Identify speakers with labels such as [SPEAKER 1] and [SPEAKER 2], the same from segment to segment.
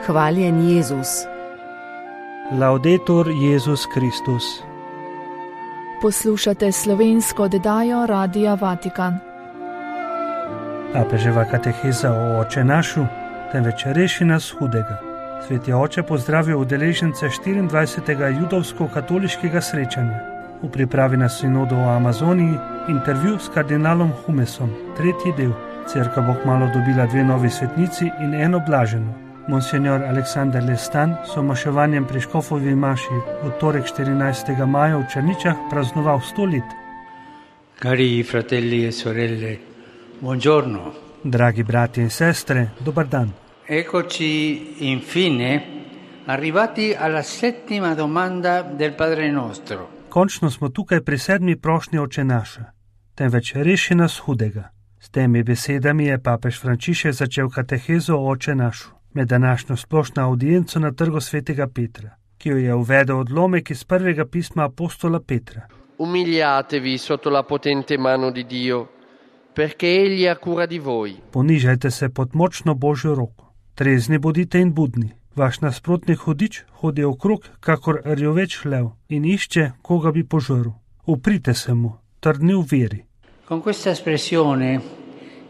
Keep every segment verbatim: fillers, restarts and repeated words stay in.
[SPEAKER 1] Hvaljen Jezus.
[SPEAKER 2] Laudetur Jezus Kristus.
[SPEAKER 3] Poslušate slovensko oddajo Radia Vatikan.
[SPEAKER 2] Papeževa kateheza o Oče našu, temveč reši nas hudega. Sveti oče pozdravil udeležence štiriindvajsetega judovsko-katoliškega srečanja. V pripravi na sinodo o Amazoniji intervju s kardinalom Humesom, tretji del. Cerkev bo kmalu dobila dve novi svetnici in eno blaženo. Monsignor Aleksander Lestan so maševanjem pri Škofovi maši v torek štirinajstega maja v Črničah praznoval sto let.
[SPEAKER 4] Cari fratelli e sorelle, buongiorno.
[SPEAKER 2] Dragi bratje in sestre, dobar dan.
[SPEAKER 4] Eccoci infine arrivati alla settima domanda del Padre nostro.
[SPEAKER 2] Končno smo tukaj pri sedmi prošnji Oče naša, temveč reši nas hudega. S temi besedami je papež Frančišek začel katehezo o Oče našu med današnjo splošno audienco na trgu svetega Petra, ki jo je uvedel odlomek iz prvega pisma apostola Petra.
[SPEAKER 5] Umiliatevi sotto la potente mano di Dio, perché egli ha cura di voi.
[SPEAKER 2] Ponižajte se pod močno Božjo roko. Trezni bodite in budni. Vaš nasprotnik hudič hodi okrog, kakor rjoveč lev, in išče, koga bi požrl. Uprite se mu, trdni v veri.
[SPEAKER 4] Con questa espressione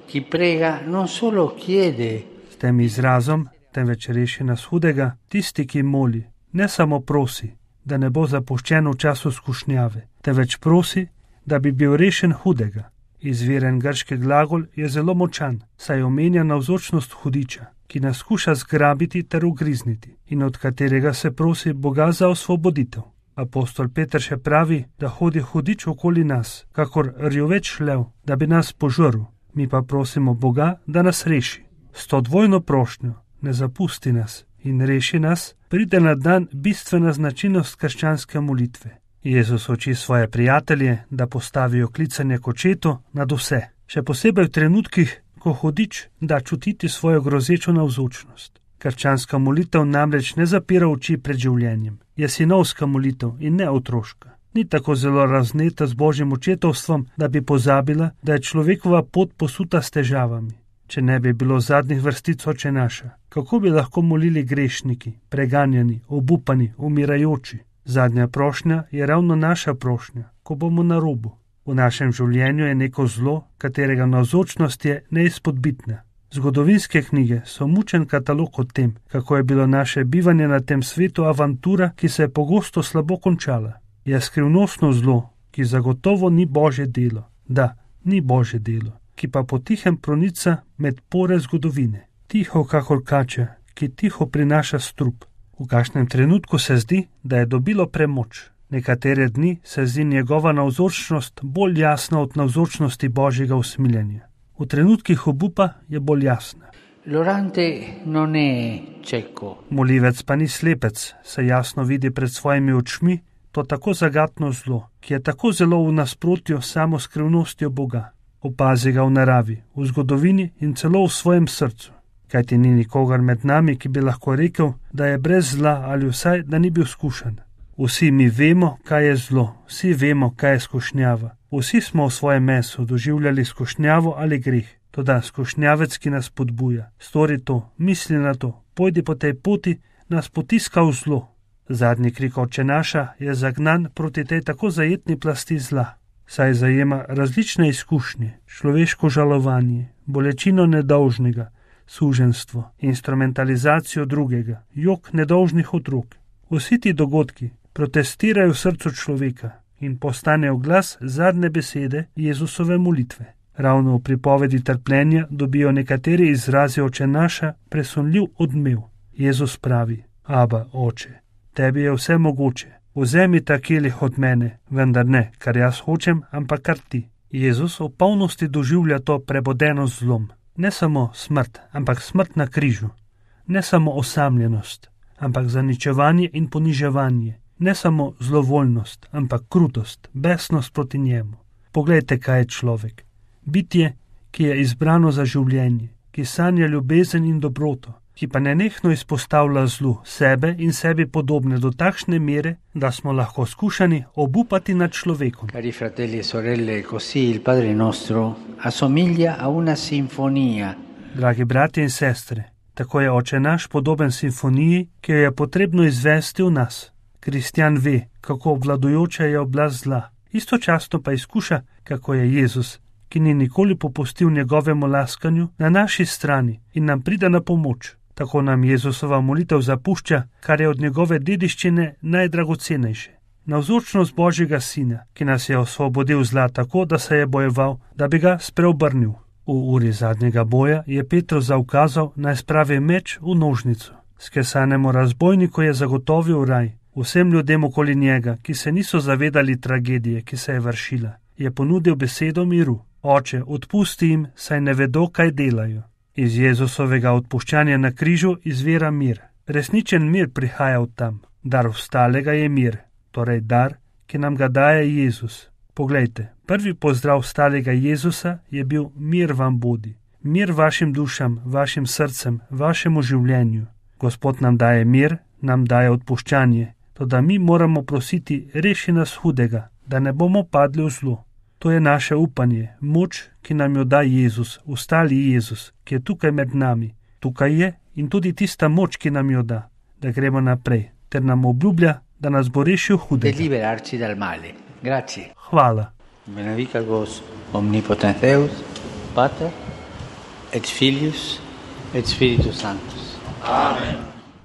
[SPEAKER 4] chi prega non solo chiede.
[SPEAKER 2] S tem izrazom, temveč reši nas hudega, tisti, ki moli, ne samo prosi, da ne bo zapuščen v času skušnjave, temveč prosi, da bi bil rešen hudega. Izviren grški glagol je zelo močan, saj omenja navzočnost hudiča, ki nas skuša zgrabiti ter ugrizniti in od katerega se prosi Boga za osvoboditev. Apostol Peter še pravi, da hodi hudič okoli nas, kakor rjoveč lev, da bi nas požrl. Mi pa prosimo Boga, da nas reši. S to dvojno prošnjo, ne zapusti nas in reši nas, pride na dan bistvena značilnost krščanske molitve. Jezus uči svoje prijatelje, da postavijo klicanje k Očetu nad vse, še posebej v trenutkih, ko hudič da čutiti svojo grozečo navzočnost. Krščanska molitev namreč ne zapira oči pred življenjem. Je sinovska molitev in ne otroška. Ni tako zelo razneta z Božjim očetovstvom, da bi pozabila, da je človekova pot posuta s težavami. Če ne bi bilo zadnjih vrstic Oče naša, kako bi lahko molili grešniki, preganjani, obupani, umirajoči? Zadnja prošnja je ravno naša prošnja, ko bomo na robu. V našem življenju je neko zlo, katerega navzočnost je neizpodbitna. Zgodovinske knjige so mučen katalog o tem, kako je bilo naše bivanje na tem svetu avantura, ki se je pogosto slabo končala. Je skrivnostno zlo, ki zagotovo ni Božje delo. Da, ni Božje delo, ki pa potihem pronica med pore zgodovine. Tiho kakor kača, ki tiho prinaša strup. V kakšnem trenutku se zdi, da je dobilo premoč. Nekatere dni se zdi njegova navzočnost bolj jasna od navzočnosti Božjega usmiljenja. V trenutkih obupa je bolj jasna.
[SPEAKER 4] L'orante non è cieco.
[SPEAKER 2] Molivec pa ni slepec, se jasno vidi pred svojimi očmi to tako zagatno zlo, ki je tako zelo v nasprotju samo skrivnostjo Boga. Opazi ga v naravi, v zgodovini in celo v svojem srcu. Kajti ni nikogar med nami, ki bi lahko rekel, da je brez zla ali vsaj, da ni bil skušan. Vsi mi vemo, kaj je zlo, vsi vemo, kaj je skušnjava. Vsi smo v svojem mesu doživljali skušnjavo ali greh, toda skušnjavec, ki nas podbuja. Stori to, misli na to, pojdi po tej poti, nas potiska v zlo. Zadnji krik Oče naša je zagnan proti tej tako zajetni plasti zla, saj zajema različne izkušnje, človeško žalovanje, bolečino nedolžnega, suženstvo, instrumentalizacijo drugega, jok nedolžnih otrok. Vsi ti dogodki protestirajo v srcu človeka in postanejo glas zadnje besede Jezusove molitve. Ravno v pripovedi trpljenja dobijo nekateri izrazi Oče naša presunljiv odmev. Jezus pravi: Aba, Oče, tebi je vse mogoče, vzemi ta kelih od mene, vendar ne, kar jaz hočem, ampak kar ti. Jezus v polnosti doživlja to prebodeno zlom. Ne samo smrt, ampak smrt na križu. Ne samo osamljenost, ampak zaničevanje in poniževanje. Ne samo zlovoljnost, ampak krutost, besnost proti njemu. Poglejte, kaj je človek. Bitje, ki je izbrano za življenje, ki sanja ljubezen in dobroto, ki pa nenehno izpostavlja zlu sebe in sebi podobne do takšne mere, da smo lahko skušani obupati nad človekom.
[SPEAKER 4] Cari fratelli e sorelle, così il Padre nostro assomiglia a una sinfonia.
[SPEAKER 2] Dragi bratje in sestre, Tako je Oče naš podoben simfoniji, ki jo je potrebno izvesti v nas. Kristjan ve, kako obvladujoča je oblast zla, istočasno pa izkuša, kako je Jezus, ki ni nikoli popustil njegovemu laskanju, na naši strani in nam pride na pomoč. Tako nam Jezusova molitev zapušča, kar je od njegove dediščine najdragocenejše. Navzočnost Božjega Sina, ki nas je osvobodil zla tako, da se je bojeval, da bi ga spreobrnil. V uri zadnjega boja je Petru zaukazal, naj spravi meč v nožnico. Skesanemu razbojniku je zagotovil raj. Vsem ljudem okoli njega, ki se niso zavedali tragedije, ki se je vršila, je ponudil besedo miru. Oče, odpusti jim, saj ne vedo, kaj delajo. Iz Jezusovega odpuščanja na križu izvira mir. Resničen mir prihaja od tam. Dar vstalega je mir, torej dar, ki nam ga daje Jezus. Poglejte, prvi pozdrav vstalega Jezusa je bil mir vam bodi. Mir vašim dušam, vašim srcem, vašemu življenju. Gospod nam daje mir, nam daje odpuščanje. Toda mi moramo prositi, reši nas hudega, da ne bomo padli v zlo. To je naše upanje, moč, ki nam jo da Jezus, vstali Jezus, ki je tukaj med nami. Tukaj je in tudi tista moč, ki nam jo da, da gremo naprej, ter nam obljublja, da nas bo rešil hudega.
[SPEAKER 4] Liberarci dal male. Grazie.
[SPEAKER 2] Hvala.
[SPEAKER 4] Benedicat vos omnipotens Deus, Pater, et Filius, et Spiritus Sanctus.
[SPEAKER 5] Amen.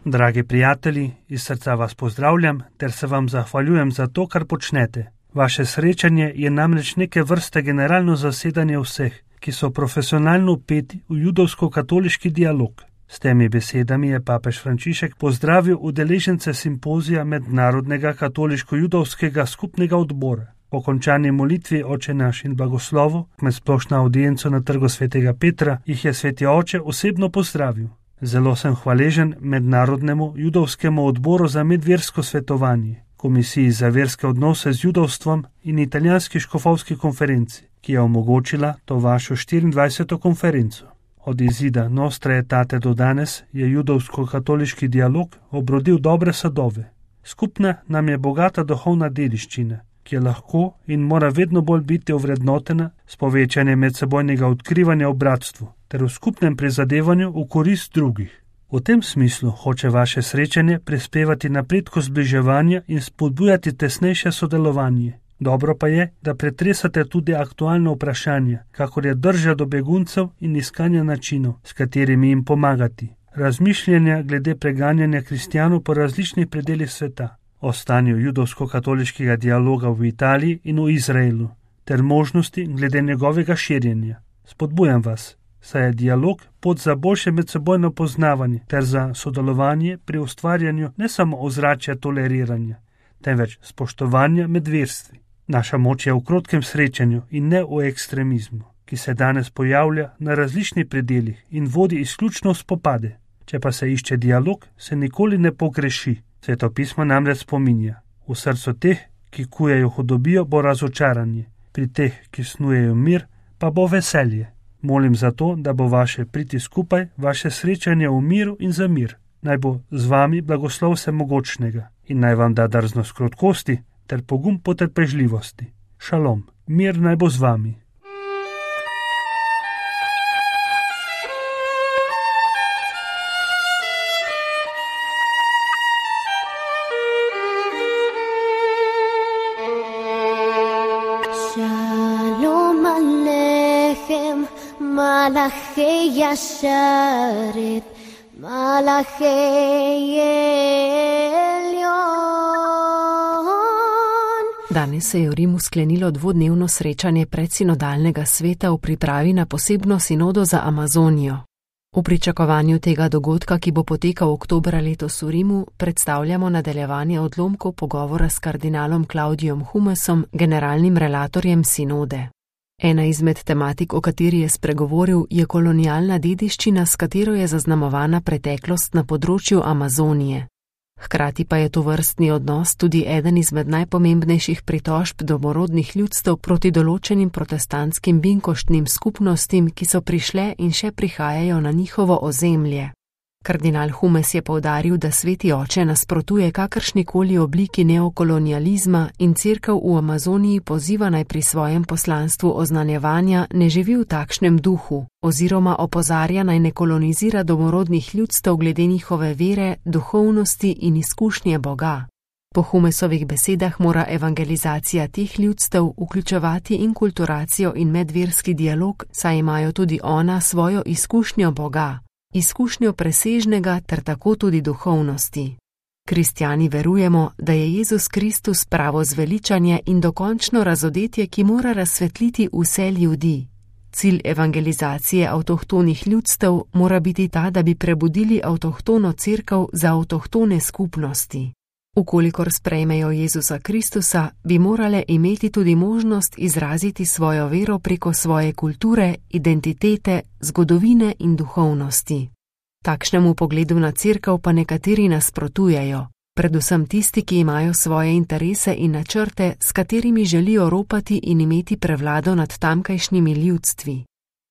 [SPEAKER 2] Dragi prijatelji, iz srca vas pozdravljam ter se vam zahvaljujem za to, kar počnete. Vaše srečanje je namreč neke vrste generalno zasedanje vseh, ki so profesionalno vpeti v judovsko-katoliški dialog. S temi besedami je papež Frančišek pozdravil udeležence simpozija Mednarodnega katoliško-judovskega skupnega odbora. Po končani molitvi Oče naš in blagoslovu med splošno audienco na trgu svetega Petra jih je sveti oče osebno pozdravil. Zelo sem hvaležen Mednarodnemu judovskemu odboru za medversko svetovanje, Komisiji za verske odnose z judovstvom in Italijanski škofovski konferenci, ki je omogočila to vašo štiriindvajseto konferenco. Od izida Nostra Aetate do danes je judovsko-katoliški dialog obrodil dobre sadove. Skupna nam je bogata duhovna dediščina, ki je lahko in mora vedno bolj biti ovrednotena s povečanjem medsebojnega odkrivanja v bratstvu ter v skupnem prizadevanju v korist drugih. V tem smislu hoče vaše srečanje prispevati napredku zbliževanja in spodbujati tesnejše sodelovanje. Dobro pa je, da pretresate tudi aktualno vprašanje, kakor je drža do beguncev in iskanja načinov, s katerimi jim pomagati. Razmišljanja glede preganjanja kristjanov po različnih predelih sveta, o stanju judovsko-katoliškega dialoga v Italiji in v Izraelu, ter možnosti glede njegovega širjenja. Spodbujam vas, saj je dialog pot za boljše medsebojno poznavanje ter za sodelovanje pri ustvarjanju ne samo ozračja toleriranja, temveč spoštovanja med verstvi. Naša moč je v krotkem srečanju in ne v ekstremizmu, ki se danes pojavlja na različnih predelih in vodi izključno v spopade. Če pa se išče dialog, se nikoli ne pogreši. Sveto pismo namreč spominja: v srcu teh, ki kujejo hudobijo, bo razočaranje, pri teh, ki snujejo mir, pa bo veselje. Molim za to, da bo vaše priti skupaj, vaše srečanje v miru in za mir. Naj bo z vami blagoslov vsemogočnega in naj vam da drznost krotkosti ter pogum potrpežljivosti. Šalom, mir naj bo z vami.
[SPEAKER 1] Shalom Aleichem, Malachei Yasharet, Malachei Elyon.
[SPEAKER 6] Danes se je v Rimu sklenilo dvodnevno srečanje predsinodalnega sveta v pripravi na posebno sinodo za Amazonijo. V pričakovanju tega dogodka, ki bo potekal oktobra letos v Rimu, predstavljamo nadaljevanje odlomkov pogovora s kardinalom Klaudijom Humesom, generalnim relatorjem sinode. Ena izmed tematik, o kateri je spregovoril, je kolonialna dediščina, s katero je zaznamovana preteklost na področju Amazonije. Hkrati pa je to vrstni odnos tudi eden izmed najpomembnejših pritožb domorodnih ljudstev proti določenim protestantskim binkoštnim skupnostim, ki so prišle in še prihajajo na njihovo ozemlje. Kardinal Humes je poudaril, da Sveti oče nasprotuje kakršnikoli obliki neokolonializma in Cerkev v Amazoniji poziva naj pri svojem poslanstvu oznanjevanja ne živi v takšnem duhu, oziroma opozarja naj ne kolonizira domorodnih ljudstev glede njihove vere, duhovnosti in izkušnje Boga. Po Humesovih besedah mora evangelizacija teh ljudstev vključevati inkulturacijo in medverski dialog, saj imajo tudi ona svojo izkušnjo Boga, izkušnjo presežnega ter tako tudi duhovnosti. Kristjani verujemo, da je Jezus Kristus pravo zveličanje in dokončno razodetje, ki mora razsvetliti vse ljudi. Cilj evangelizacije avtohtonih ljudstev mora biti ta, da bi prebudili avtohtono cerkev za avtohtone skupnosti. Ukolikor sprejmejo Jezusa Kristusa, bi morale imeti tudi možnost izraziti svojo vero preko svoje kulture, identitete, zgodovine in duhovnosti. Takšnemu pogledu na cerkev pa nekateri nasprotujejo, predvsem tisti, ki imajo svoje interese in načrte, s katerimi želijo ropati in imeti prevlado nad tamkajšnjimi ljudstvi.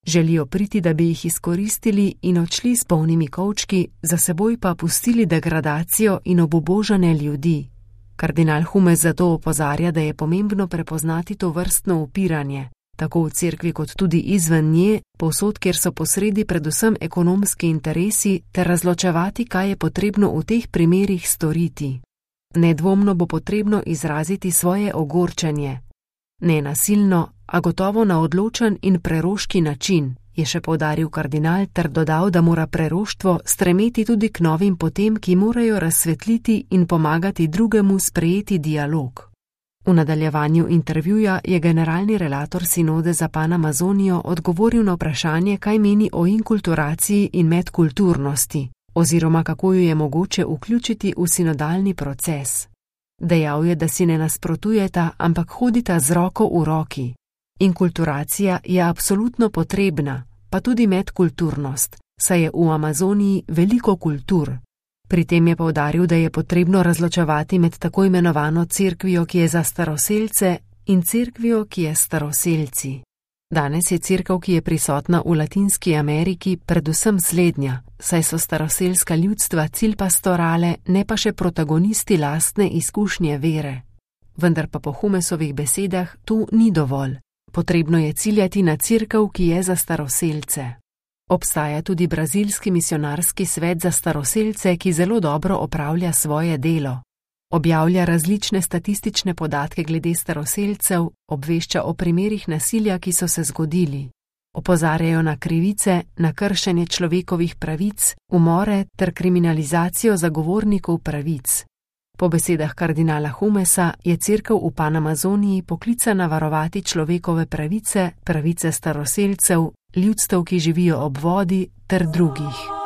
[SPEAKER 6] Želijo priti, da bi jih izkoristili in odšli s polnimi kovčki, za seboj pa pustili degradacijo in obubožane ljudi. Kardinal Humes zato opozarja, da je pomembno prepoznati to vrstno upiranje, tako v cerkvi kot tudi izven nje, povsod, kjer so posredi predvsem ekonomski interesi, ter razločevati, kaj je potrebno v teh primerih storiti. Nedvomno bo potrebno izraziti svoje ogorčenje. Ne nasilno, a gotovo na odločen in preroški način, je še poudaril kardinal ter dodal, da mora preroštvo stremeti tudi k novim potem, ki morajo razsvetliti in pomagati drugemu sprejeti dialog. V nadaljevanju intervjuja je generalni relator sinode za Panamazonijo odgovoril na vprašanje, kaj meni o inkulturaciji in medkulturnosti, oziroma kako jo je mogoče vključiti v sinodalni proces. Dejal je, da si ne nasprotujeta, ampak hodita z roko v roki. Inkulturacija je absolutno potrebna, pa tudi medkulturnost, saj je v Amazoniji veliko kultur. Pri tem je poudaril, da je potrebno razločevati med tako imenovano cerkvijo, ki je za staroselce, in cerkvijo, ki je staroselci. Danes je cerkev, ki je prisotna v Latinski Ameriki, predvsem slednja, saj so staroselska ljudstva cilj pastorale, ne pa še protagonisti lastne izkušnje vere. Vendar pa po Humesovih besedah tu ni dovolj. Potrebno je ciljati na cerkev, ki je za staroselce. Obstaja tudi brazilski misionarski svet za staroselce, ki zelo dobro opravlja svoje delo. Objavlja različne statistične podatke glede staroselcev, obvešča o primerih nasilja, ki so se zgodili. Opozarjajo na krivice, na kršenje človekovih pravic, umore ter kriminalizacijo zagovornikov pravic. Po besedah kardinala Humesa je cerkev v Panamazoniji poklicana varovati človekove pravice, pravice staroselcev, ljudstev, ki živijo ob vodi, ter drugih.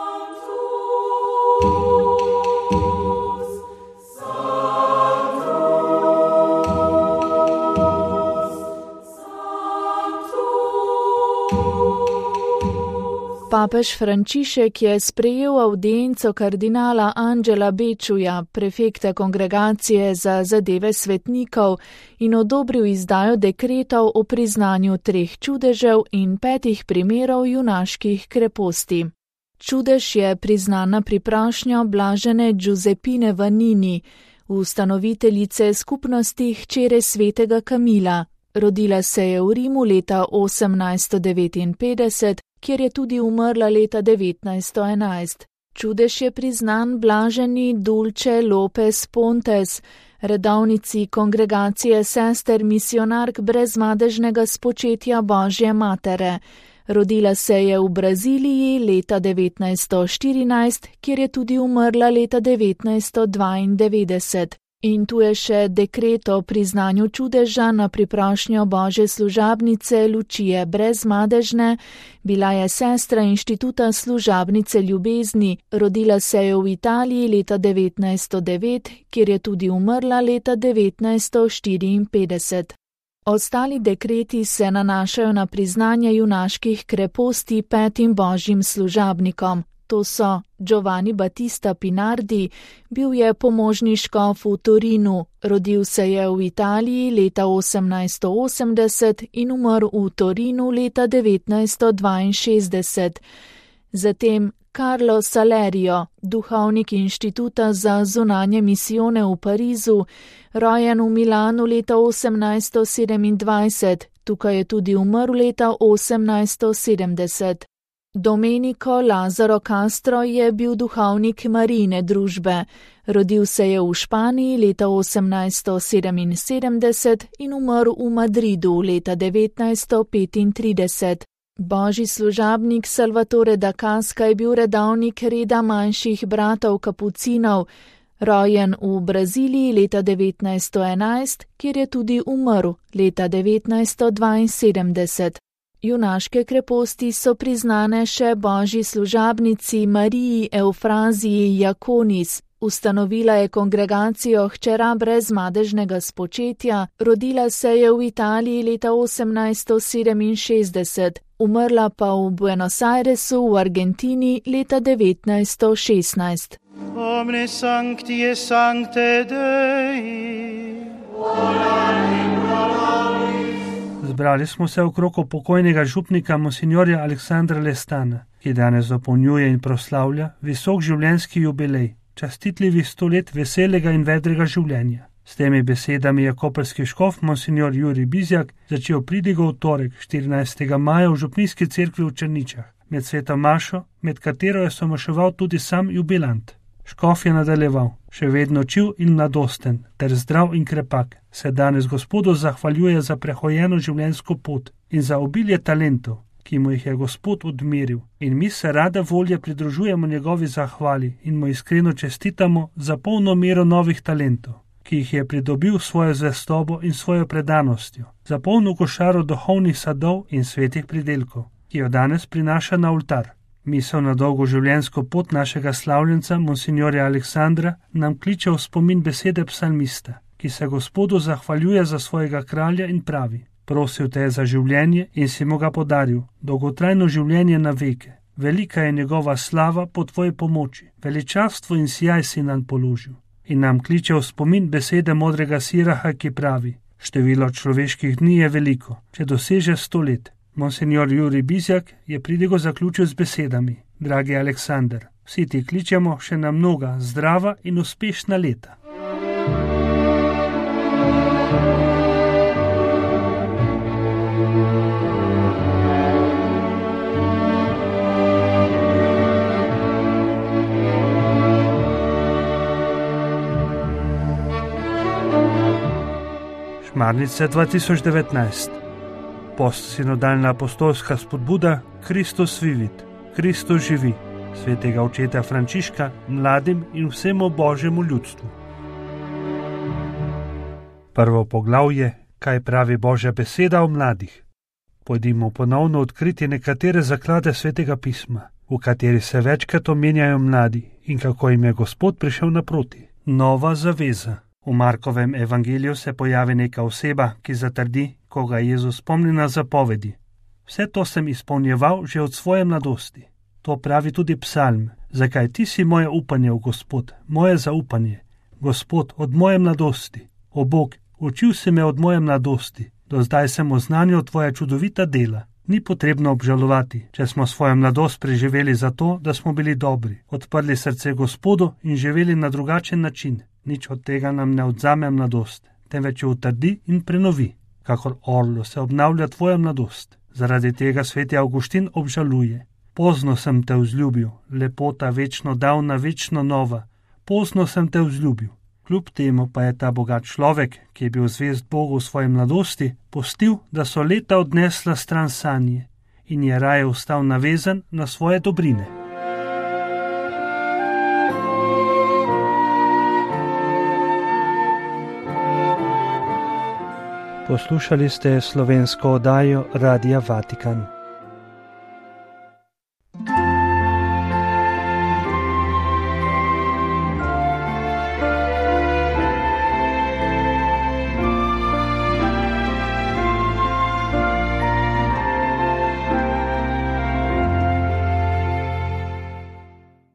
[SPEAKER 3] Papež Frančišek je sprejel avdienco kardinala Angela Bečuja, prefekta kongregacije za zadeve svetnikov, in odobril izdajo dekretov o priznanju treh čudežev in petih primerov junaških kreposti. Čudež je priznana priprašnja blažene Giuseppine Vanini, ustanoviteljice skupnosti hčere svetega Kamila. Rodila se je v Rimu leta osemnajststo devetinpetdeset, kjer je tudi umrla leta devetnajststo enajst. Čudež je priznan blaženi Dulce Lopez Pontes, redovnici kongregacije sester misionark brezmadežnega spočetja Božje matere. Rodila se je v Braziliji leta devetnajststo štirinajst, kjer je tudi umrla leta devetnajststo dvaindevetdeset. In tu je še dekret o priznanju čudeža na priprošnjo Božje služabnice Lučije Brezmadežne. Bila je sestra inštituta služabnice ljubezni, rodila se je v Italiji leta devetnajststo devet, kjer je tudi umrla leta devetnajststo štiriinpetdeset. Ostali dekreti se nanašajo na priznanje junaških kreposti petim božjim služabnikom. To so Giovanni Battista Pinardi, bil je pomožni škof v Torinu, rodil se je v Italiji leta osemnajststo osemdeset in umrl v Torinu leta devetnajststo dvainšestdeset. Zatem Carlo Salerio, duhovnik inštituta za zunanje misijone v Parizu, rojen v Milanu leta osemnajststo sedemindvajset, tukaj je tudi umrl leta osemnajststo sedemdeset. Domenico Lazzaro Castro je bil duhovnik Marijine družbe. Rodil se je v Španiji leta osemnajststo sedeminsedemdeset in umrl v Madridu leta devetnajststo petintrideset. Božji služabnik Salvatore da Casca je bil redavnik reda manjših bratov kapucinov, rojen v Braziliji leta devetnajststo enajst, kjer je tudi umrl leta devetnajststo dvainsedemdeset. Junaške kreposti so priznane še božji služabnici Mariji Eufraziji Jakonis. Ustanovila je kongregacijo hčera brez madežnega spočetja, rodila se je v Italiji leta osemnajststo sedeminšestdeset, umrla pa v Buenos Airesu v Argentini leta devetnajststo šestnajst.
[SPEAKER 7] Omne sancti et sancte Dei.
[SPEAKER 2] Zbrali smo se okrog pokojnega župnika monsignorja Aleksandra Lestana, ki danes dopolnjuje in proslavlja visok življenjski jubilej, častitljivi sto let veselega in vedrega življenja. S temi besedami je koprski škof monsignor Jurij Bizjak začel pridigo v torek, štirinajstega maja v župnijski cerkvi v Črničah, med sveto mašo, med katero je somaševal tudi sam jubilant. Škof je nadaljeval, še vedno čiv in mladosten, ter zdrav in krepak, se danes Gospodu zahvaljuje za prehojeno življenjsko pot in za obilje talentov, ki mu jih je Gospod odmeril, in mi se rada volje pridružujemo njegovi zahvali in mu iskreno čestitamo za polno mero novih talentov, ki jih je pridobil svojo zvestobo in svojo predanostjo, za polno košaro duhovnih sadov in svetih pridelkov, ki jo danes prinaša na oltar. Misel na dolgo življenjsko pot našega slavljenca, monsignorja Aleksandra, nam kliče v spomin besede psalmista, ki se Gospodu zahvaljuje za svojega kralja in pravi: prosil te je za življenje in si mu ga podaril, dolgotrajno življenje na veke. Velika je njegova slava po tvoji pomoči, veličastvo in sijaj si nam položil. In nam kliče v spomin besede modrega Siraha, ki pravi: število človeških dni je veliko, če doseže sto let. Monsignor Jurij Bizjak je pridigo zaključil z besedami: dragi Aleksander, vsi ti kličemo še na mnoga zdrava in uspešna leta. Šmarnice dva tisoč devetnajst. Postsinodalna apostolska spodbuda Kristus vivit, Kristus živi, svetega očeta Frančiška mladim in vsemu božjemu ljudstvu. Prvo poglavje, kaj pravi Božja beseda o mladih. Pojdimo ponovno odkriti nekatere zaklade svetega pisma, v kateri se večkrat omenjajo mladi in kako jim je Gospod prišel naproti. Nova zaveza. V Markovem evangeliju se pojavi neka oseba, ki zatrdi, ko ga Jezus spomni na zapovedi: vse to sem izpolnjeval že od svoje mladosti. To pravi tudi psalm: zakaj ti si moje upanje v Gospod, moje zaupanje, Gospod, od moje mladosti. O Bog, učil si me od moje mladosti, do zdaj sem oznanil tvoja čudovita dela. Ni potrebno obžalovati, če smo svojo mladost preživeli zato, da smo bili dobri, odprli srce Gospodu in živeli na drugačen način. Nič od tega nam ne odzame mladost, temveč jo utrdi in prenovi. Kakor orlo se obnavlja tvoja mladost. Zaradi tega sveti Avguštin obžaluje: pozno sem te vzljubil, lepota večno davna, večno nova, pozno sem te vzljubil. Kljub temu pa je ta bogat človek, ki je bil zvest Bogu v svoji mladosti, pustil, da so leta odnesla stran sanje in je raje ostal navezan na svoje dobrine. Poslušali ste slovensko oddajo Radia Vatikan.